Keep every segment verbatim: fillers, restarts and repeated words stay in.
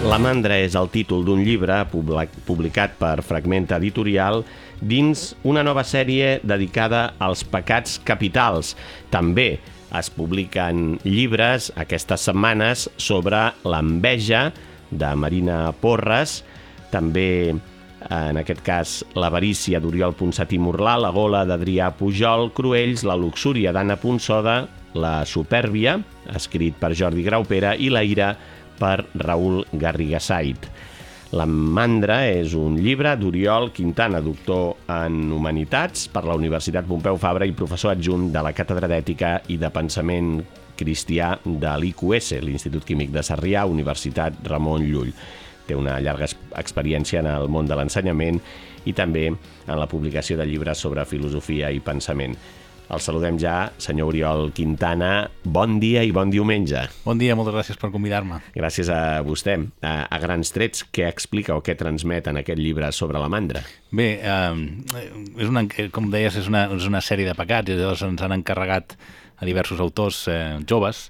La mandra és el títol d'un llibre publicat per Fragmenta Editorial dins una nova sèrie dedicada als pecats capitals. També es publiquen llibres aquestes setmanes sobre l'enveja de Marina Porres, també en aquest cas l'avarícia d'Oriol Ponsatí Murlà, la gola d'Adrià Pujol Cruells, la luxúria d'Anna Ponsoda, la supèrbia, escrit per Jordi Graupera, i la ira per Raül Garrigasait. La mandra és un llibre d'Oriol Quintana, doctor en Humanitats per la Universitat Pompeu Fabra i professor adjunt de la Càtedra d'Ètica i de Pensament Cristià de l'I Q S, l'Institut Químic de Sarrià, Universitat Ramon Llull. Té una llarga experiència en el món de l'ensenyament i també en la publicació de llibres sobre filosofia i pensament. El saludem ja, senyor Oriol Quintana. Bon dia i bon diumenge. Bon dia, moltes gràcies per convidar-me. Gràcies a vostè. A, a grans trets, què explica o què transmet en aquest llibre sobre la mandra? Bé, eh, és una, com deies, és una, és una sèrie de pecats, i llavors ens han encarregat a diversos autors eh, joves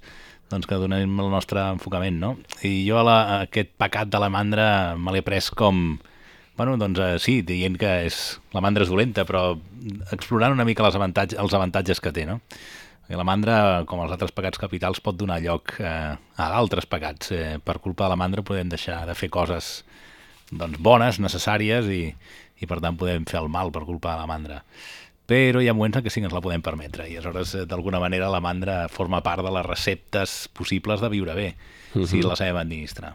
doncs que donem el nostre enfocament, no? I jo la, aquest pecat de la mandra me l'he pres com... Bueno, doncs eh, sí, dient que és, la mandra és dolenta, però explorant una mica les avantatges, els avantatges que té, no? I la mandra, com els altres pecats capitals, pot donar lloc eh, a altres pecats. Eh, per culpa de la mandra podem deixar de fer coses doncs, bones, necessàries, i, i per tant podem fer el mal per culpa de la mandra. Però hi ha moments en què sí que ens la podem permetre, i aleshores, d'alguna manera, la mandra forma part de les receptes possibles de viure bé, uh-huh. si la sabem administrar.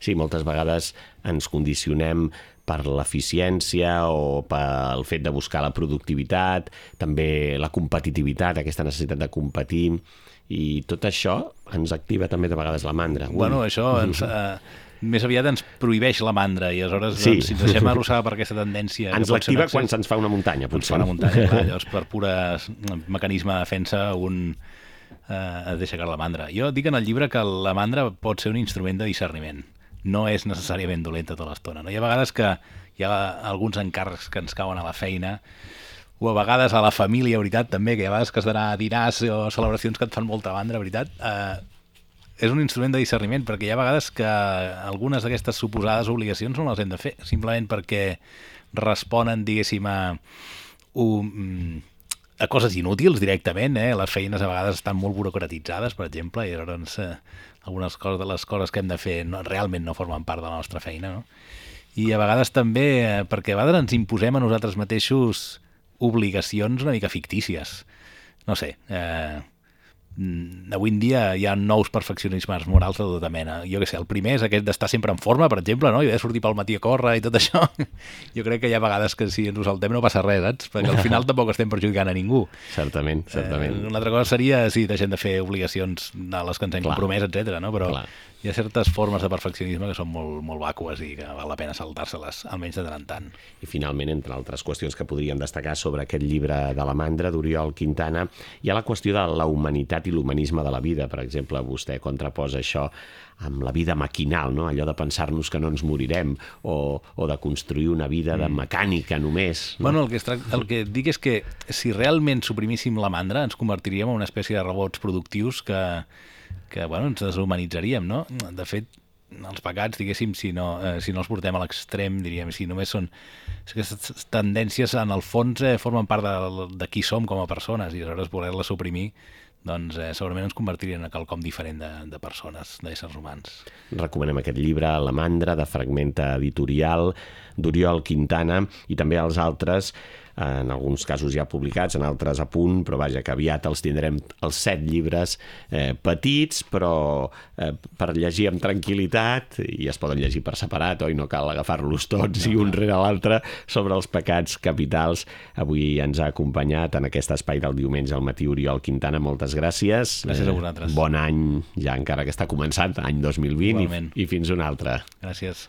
Sí, moltes vegades ens condicionem per l'eficiència o pel fet de buscar la productivitat, també la competitivitat, aquesta necessitat de competir, i tot això ens activa també de vegades la mandra. Ui. Bueno, això ens, eh, més aviat ens prohibeix la mandra, i aleshores sí. doncs, si ens deixem arrossegar per aquesta tendència... Ens l'activa quan se'ns fa una muntanya, potser. Ens fa una muntanya, clar, llavors per pura mecanisme de defensa un eh, es deixa caure la mandra. Jo dic en el llibre que la mandra pot ser un instrument de discerniment. No és necessàriament dolenta tota l'estona. No? Hi ha vegades que hi ha alguns encàrrecs que ens cauen a la feina, o a vegades a la família, veritat, també, que hi ha vegades que has d'anar a dinars o celebracions que et fan molta mandra, veritat. Eh, és un instrument de discerniment, perquè hi ha vegades que algunes d'aquestes suposades obligacions no les hem de fer, simplement perquè responen, diguéssim, a, un, a coses inútils directament. Eh? Les feines a vegades estan molt burocratitzades, per exemple, i llavors eh, algunes coses de les coses que hem de fer no, realment no formen part de la nostra feina, no? I a vegades també, eh, perquè a vegades ens imposem a nosaltres mateixos obligacions una mica fictícies. No sé, eh, avui en dia hi ha nous perfeccionismes morals de tota mena. Jo què sé, el primer és aquest d'estar sempre en forma, per exemple, no? I de sortir pel matí a córrer i tot això. Jo crec que hi ha vegades que si ens ho saltem no passa res, saps? Perquè al final tampoc estem perjudicant a ningú. Certament, certament. Eh, una altra cosa seria si deixem de fer obligacions a les que ens hem Clar. compromès, etcètera, no? Però Clar. hi ha certes formes de perfeccionisme que són molt, molt vàcues i que val la pena saltar-se-les, almenys de tant en tant. I finalment, entre altres qüestions que podríem destacar sobre aquest llibre de la mandra d'Oriol Quintana, hi ha la qüestió de la humanitat i l'humanisme de la vida. Per exemple, vostè contraposa això amb la vida maquinal, no? Allò de pensar-nos que no ens morirem, o, o de construir una vida de mecànica només. No? Bueno, el que, es tracta, el que dic és que si realment suprimíssim la mandra ens convertiríem en una espècie de robots productius que que bueno, ens deshumanitzaríem, no? De fet, els pecats, diguéssim, si no, eh, si no els portem a l'extrem, diríem, si només són... Aquestes tendències, en el fons, eh, formen part de, de qui som com a persones, i aleshores voler-les suprimir, doncs eh, segurament ens convertirien en quelcom diferent de, de persones, d'éssers humans. Recomanem aquest llibre, La mandra, de Fragmenta Editorial, d'Oriol Quintana, i també els altres, en alguns casos ja publicats, en altres a punt, però vaja, que aviat els tindrem els set llibres eh, petits, però eh, per llegir amb tranquil·litat, i es poden llegir per separat, oi? No cal agafar-los tots i un rere l'altre, sobre els pecats capitals. Avui ens ha acompanyat en aquest espai del diumenge al matí Oriol Quintana. Moltes gràcies. Gràcies a vosaltres. Bon any, ja encara que està començant, any dos mil vint, i, i fins un altre. Gràcies.